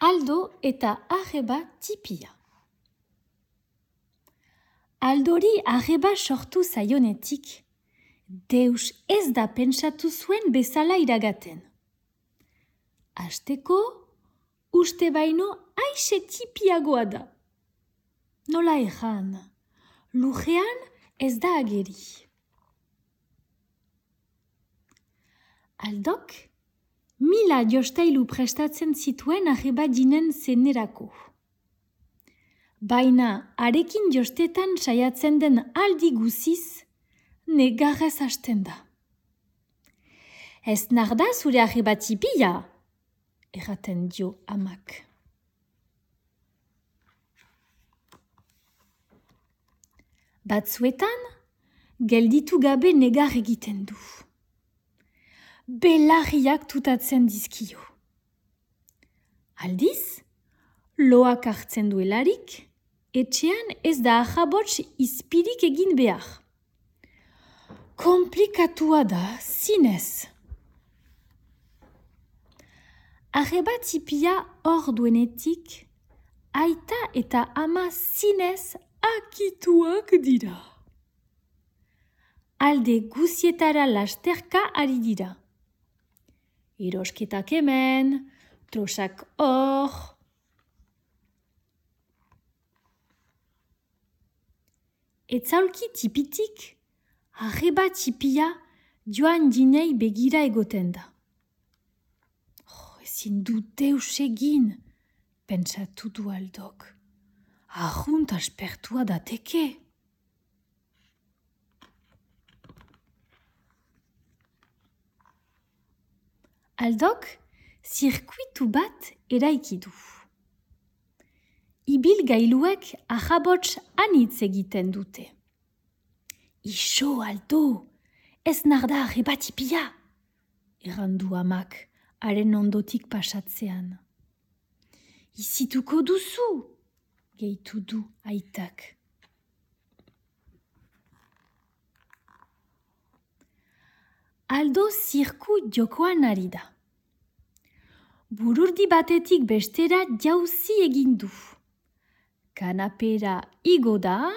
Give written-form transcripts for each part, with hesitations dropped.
Aldo eta arreba tipia. Aldori arreba sortu zaionetik, deus ez da pentsatu zuen bezala iragaten. Hasteko, uste baino aixe tipiagoa da. Nola erran, lujean ez da ageri. Aldok, mila jostailu prestatzen zituen arreba jinen zenerako. Baina arekin jostetan saiatzen den aldi guziz, negarrez hasten da. Ez narda zure arreba tipia, erraten dio amak. Batzuetan, gelditu gabe negar egiten du. Belarriak tutatzen dizkio. Aldiz, loak hartzen duelarik, etxean ez da ahabots izpirik egin behar. Komplikatua da, zinez. Arreba tipia hor duenetik, aita eta ama zinez akituak dira. Alde guzietara lasterka ari dira. Erosketak hemen, trosak hor. Etzaulki tipitik, arreba tipia joan dinei begira egoten da. Ezin du deus egin, pentsatu du Aldok. Arrunt aspertua dateke. Aldok zirkuitu bat eraiki du. Ibilgailuek ahabots anitz egiten dute. Ixo, Aldo, ez narda arreba tipia, errandu amak, haren ondotik pasatzean. Izituko duzu, gehitu du aitak. Aldo zirku jokoan ari da. Bururdi batetik bestera jauzi egin du. Kanapera igo da,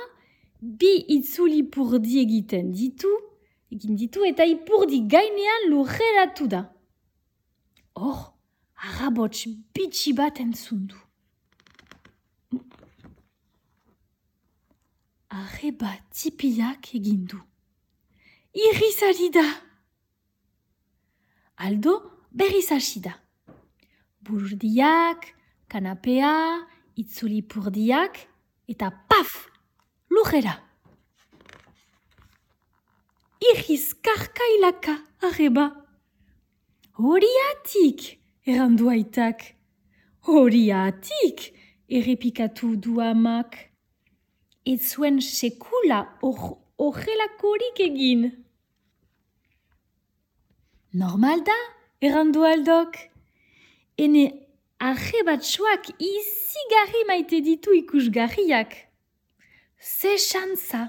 bi itzulipurdi egin ditu eta ipurdi gainean lurreratu da. Hor, arrabots bitxi bat entzun du. Arreba tipiak egin du. Irriz ari da. Aldo berriz hasi da. Bururdiak, kanapea, itzulipurdiak, eta paf! Lurrera. Irriz karkailaka, arreba. Horiatik, errandu aitak. Horiatik, errepikatu du amak. Ez zuen sekula horrelakorik egin. Normal da, errandu Aldok. Ene arrebatsuak izigarri maite ditu ikusgarriak. Ze xantza,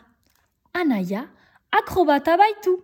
anaia akrobata baitu.